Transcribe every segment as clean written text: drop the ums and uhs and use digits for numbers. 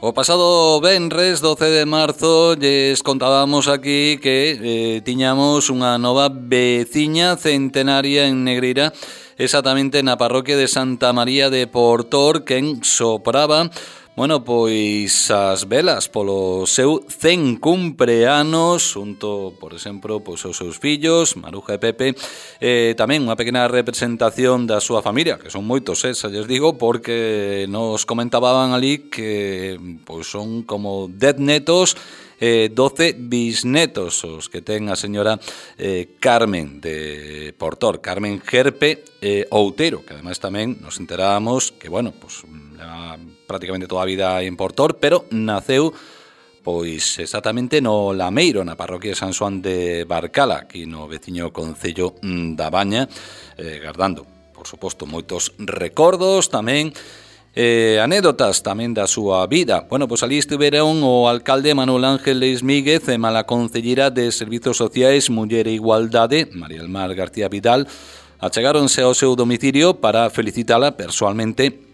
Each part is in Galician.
O pasado venres 12 de marzo lles contábamos aquí que tiñamos unha nova veciña centenaria en Negreira, exactamente na parroquia de Santa María de Portor, quen sopraba, bueno, pois as velas polo seu 100 cumpleanos, xunto, por exemplo, pois os seus fillos, Maruja e Pepe, tamén unha pequena representación da súa familia, que son moitos, xa lles digo, porque nos comentaban ali que pois son como 10 netos, 12 bisnetos os que ten a señora Carmen de Portor, Carmen Gerpe Outeiro, que ademais tamén nos enterábamos que, bueno, pues prácticamente toda a vida en Portor, pero naceu pois exactamente no Lameiro, na parroquia de San Xoán de Barcala, aquí no veciño concello da Baña, gardando, por suposto, moitos recordos tamén, anécdotas tamén da súa vida. Bueno, pois ali estiveron o alcalde Manuel Ángel Leis Míguez e a concellera de Servizos Sociais, Muller e Igualdade, María del Mar García Vidal, achegáronse ao seu domicilio para felicitala persoalmente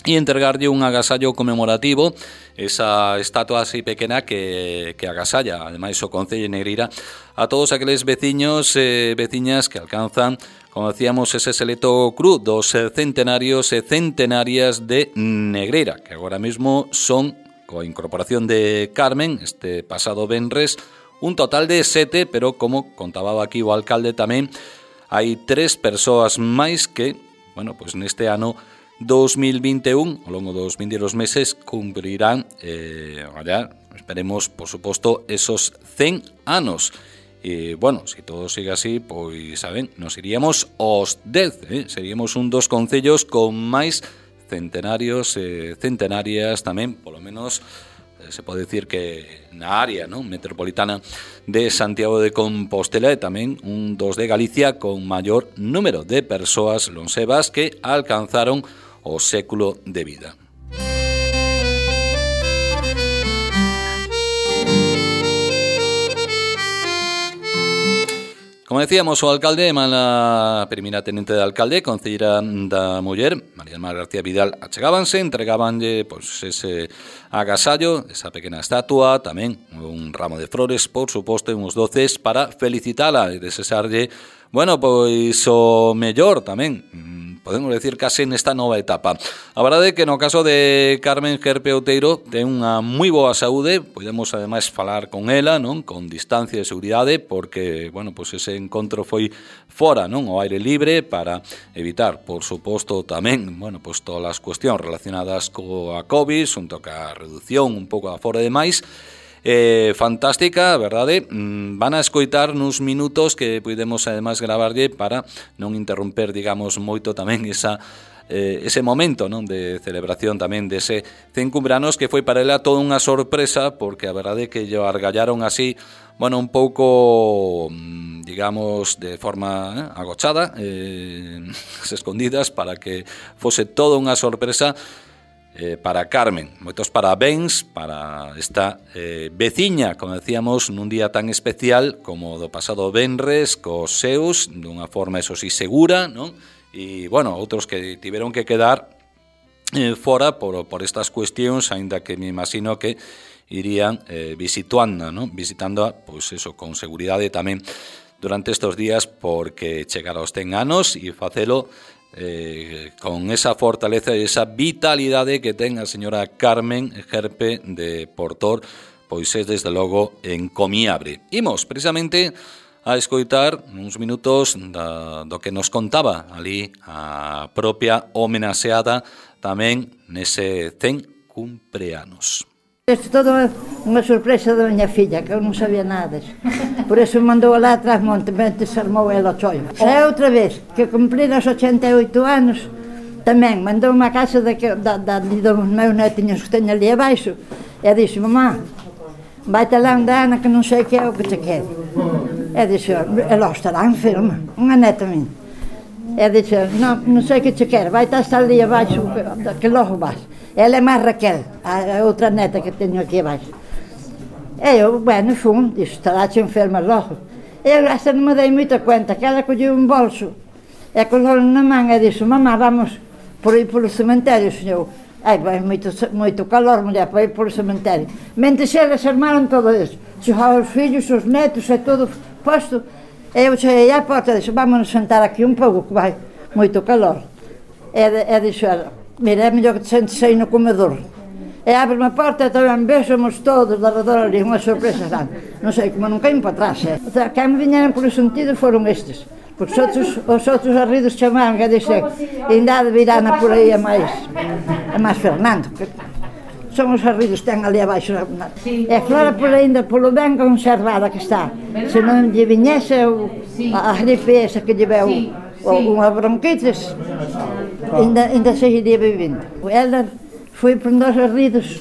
e entregarlle un agasallo conmemorativo, esa estatua así pequena que agasalla, ademais, o Concello de Negreira, a todos aqueles veciños e veciñas que alcanzan, como decíamos, ese selecto cru dos centenarios e centenarias de Negreira, que agora mesmo son, coa incorporación de Carmen, este pasado venres, un total de 7, pero como contaba aquí o alcalde tamén, hai 3 persoas máis que, bueno, pois neste ano 2021, ao longo dos 22 meses, cumprirán, esperemos, por suposto, esos 100 anos. E, bueno, se todo sigue así, pois, saben, nos iríamos aos 10, seríamos un dos concellos con máis centenarios e centenarias tamén, polo menos, se pode decir que na área, non, metropolitana de Santiago de Compostela, e tamén un dos de Galicia con maior número de persoas lonsevas que alcanzaron o século de vida. Como decíamos, o alcalde, a primera tenente de alcalde, concellera da Muller, María del Mar García Vidal, achegábanse, entregábanlle pois, ese agasallo, esa pequena estatua, tamén un ramo de flores, por suposto, e uns doces para felicitala e desexarlle, bueno, pois o mellor tamén, podemos decir case nesta nova etapa. A verdade é que no caso de Carmen Gerpe Outeiro ten unha moi boa saúde, podemos ademais falar con ela, non, con distancia de seguridade, porque, bueno, pois ese encontro foi fora, non, ao aire libre, para evitar, por suposto, tamén, bueno, pois todas as cuestións relacionadas coa COVID, xunto ca reducción un pouco afora de máis. Fantástica, verdade? Van a escoitar nuns minutos que podemos ademais gravarlle para non interromper, digamos, moito tamén ese momento, non, de celebración tamén dese 100 cumpleanos, que foi para ela toda unha sorpresa, porque a verdade é que lle argallaron así, bueno, un pouco, digamos, de forma agochada, escondidas, para que fose toda unha sorpresa para Carmen. Moitos parabéns para esta veciña, como decíamos, nun día tan especial como do pasado venres, cos seus, dunha forma, eso sí, segura, non? E, bueno, outros que tiveron que quedar fora por estas cuestións, aínda que me imagino que irían visitando, non? Visitándoa, pois eso, con seguridade tamén durante estes días, porque chegar aos 100 anos e facelo con esa fortaleza e esa vitalidade que ten a señora Carmen Gerpe de Portor, pois é desde logo encomiable. Imos precisamente a escoitar uns minutos do que nos contaba ali a propia homenaxeada tamén nese 100 cumpleanos. Isto todo unha sorpresa da miña filla, que eu non sabía nada disso. Por eso me mandou lá atrás monte, se armou ela o chollo. Xa outra vez, que cumplir os 88 anos, tamén mandou unha casa dos meus netinhos que teño ali abaixo, e dixo, mamá, vai-te lá onde Ana, que non sei que é o que te quero. E dixo, ela estará enferma, unha neta minha. E dixo, non sei que te quero, vai-te estar ali abaixo, que logo vas. Ela é máis Raquel, a outra neta que teño aquí abaixo. E eu, bueno, fui, dixo, estará-te enferma logo. E eu esta non me dei moita cuenta, que ela colleu un bolso, e colou na man e dixo, mamá, vamos por aí polo cemiterio, senhor. Ai, vai moito calor, muller, para ir polo cementerio. Mentres eles armaron todo eso. Chegaban os fillos, os netos e todo posto. E eu cheguei á porta e dixo, vámonos sentar aquí un pouco, que vai moito calor. E dixo, mira, é mellor que te sentes aí no comedor. E abre a porta e tamén vésemos todos de redor ali, unha sorpresa grande. Non sei, como non caín para atrás, O sea, que me viñeron polo sentido foron estes. Porque os outros arridos chamaron, que dixen, ainda de virana por aí a máis Fernando, que son os arridos que ten ali abaixo. E a Flora por ainda, polo ben conservada que está. Se non lle viñese a gripe esa que lle veu unha bronquitis, ainda seguiría vivindo. Ela foi por nós arridos,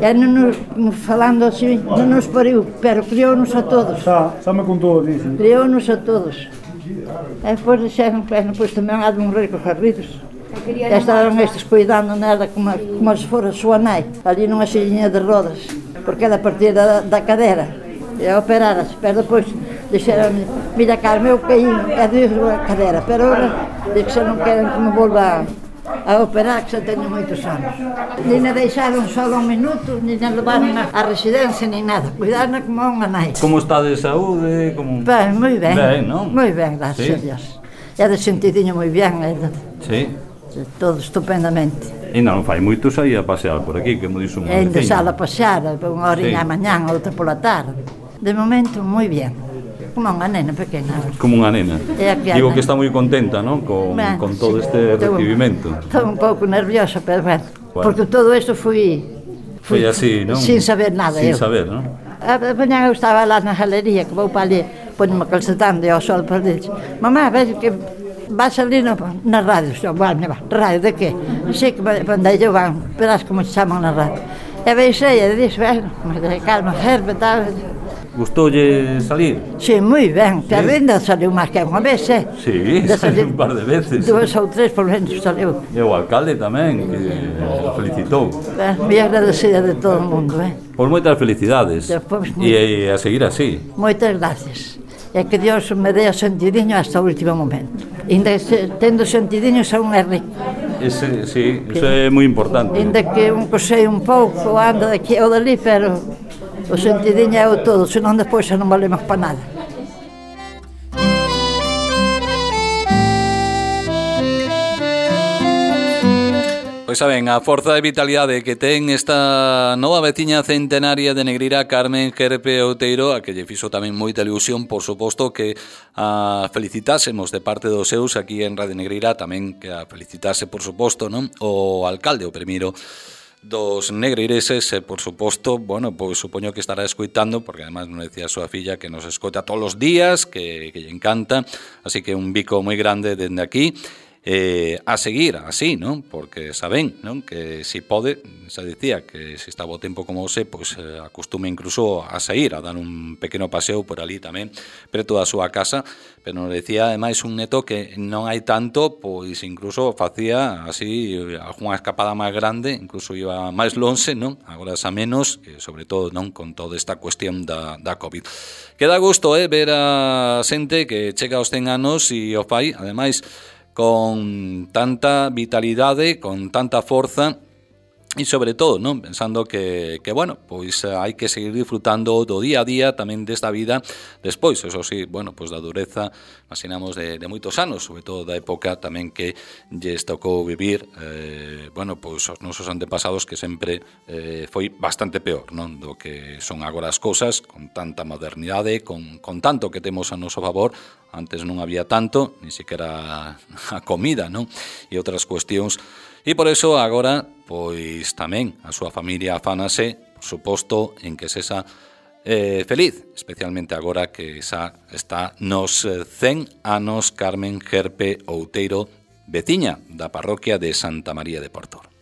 e non nos falando así, non nos pariu, pero criou-nos a todos. Xa me contou, dixen. Criou-nos a todos. E depois dixeron, pois tamén há de morrer cos arridos. E estaban estes cuidando nela como se fora a súa nai, ali nunha sillinha de rodas, porque ela partida da cadera, e operarase, pero depois dixeron, mira Carme, eu caí, e dixo a cadera, pero agora dixe que non queren que me volva a operar, que xa teño moitos anos. Ni na deixaron só un minuto, ni na levaron a residencia, ni nada, cuidarna como a unha nai. Como está de saúde? Ben, moi ben, non? Moi ben, gracias a Dios. E de sentidiño moi ben, Sí. Todo estupendamente. E non fai moito saí a pasear por aquí, que mo dixo unha vecina. E ainda vecina. sala a pasear, unha horiña a mañán, outra pola tarde. De momento, moi ben. Como unha nena pequena. Como unha nena. Digo que está moi contenta, non? Con todo este recibimento. Estou un pouco nerviosa, pero bueno. Porque todo isto foi así, non? Sin saber nada. Sin saber, non? A mañán eu estaba lá na galería, que vou para ali, ponme calcetando e ao sol para ali. Mamá, vejo que vas ali na radio. Vale, radio de qué? Sí, que mandei eu van, verás como se chaman na radio. E veixei e dixo, bueno, calma, Herbe, tal. Gustoulle salir? Sí, moi ben, que a venda saliu máis que unha vez, Sí, saliu un par de veces. 2 ou 3 por menos saliu. E o alcalde tamén, que felicitou. Moi agradecida de todo o mundo, Por moitas felicidades. E a seguir así. Moitas gracias. E que Dios me dé o sentidiño hasta o último momento. Inda tendo sentidiño xa un é rico. Sí, iso é moi importante. Inda que un cosei un pouco, anda daqui ou dali, pero o sentidiño é o todo, senón despois xa non valemos para nada. Pois saben, a forza e vitalidade que ten esta nova veciña centenaria de Negreira, Carmen Gerpe Outeiro, a que lle fixo tamén moita ilusión, por suposto, que a felicitásemos de parte dos seus aquí en Radio Negreira, tamén que a felicitase, por suposto, non? O alcalde, o primeiro dos negreireses, e por suposto, bueno, pois supoño que estará escoitando, porque además non decía a súa filla que nos escoita todos os días, que lle encanta, así que un bico moi grande dende aquí. A seguir así, non? Porque saben, non? Que si pode, xa dicía que se está o tempo como hoxe, pois acostume incluso a sair, a dar un pequeno paseo por ali tamén, preto da súa casa, pero nos decía ademais un neto que non hai tanto, pois incluso facía así algunha escapada máis grande, incluso iba máis lonxe, non? Agora xa menos, sobre todo, non? Con toda esta cuestión da COVID. Queda gusto, ver a xente que chega aos 100 anos e o fai, ademais, con tanta vitalidade, con tanta forza e sobre todo, non, pensando que bueno, pois hai que seguir disfrutando do día a día tamén desta vida despois, eso sí, bueno, pois da dureza imaginamos de moitos anos, sobre todo da época tamén que lles tocou vivir bueno, pois os nosos antepasados que sempre foi bastante peor, non, do que son agora as cousas, con tanta modernidade, con tanto que temos a noso favor. Antes non había tanto, ni siquiera a comida, non? E outras cuestións. E por eso agora, pois tamén a súa familia afánase, por suposto, en que sexa feliz, especialmente agora que xa está nos 100 anos Carmen Gerpe Outeiro, veciña da parroquia de Santa María de Portor.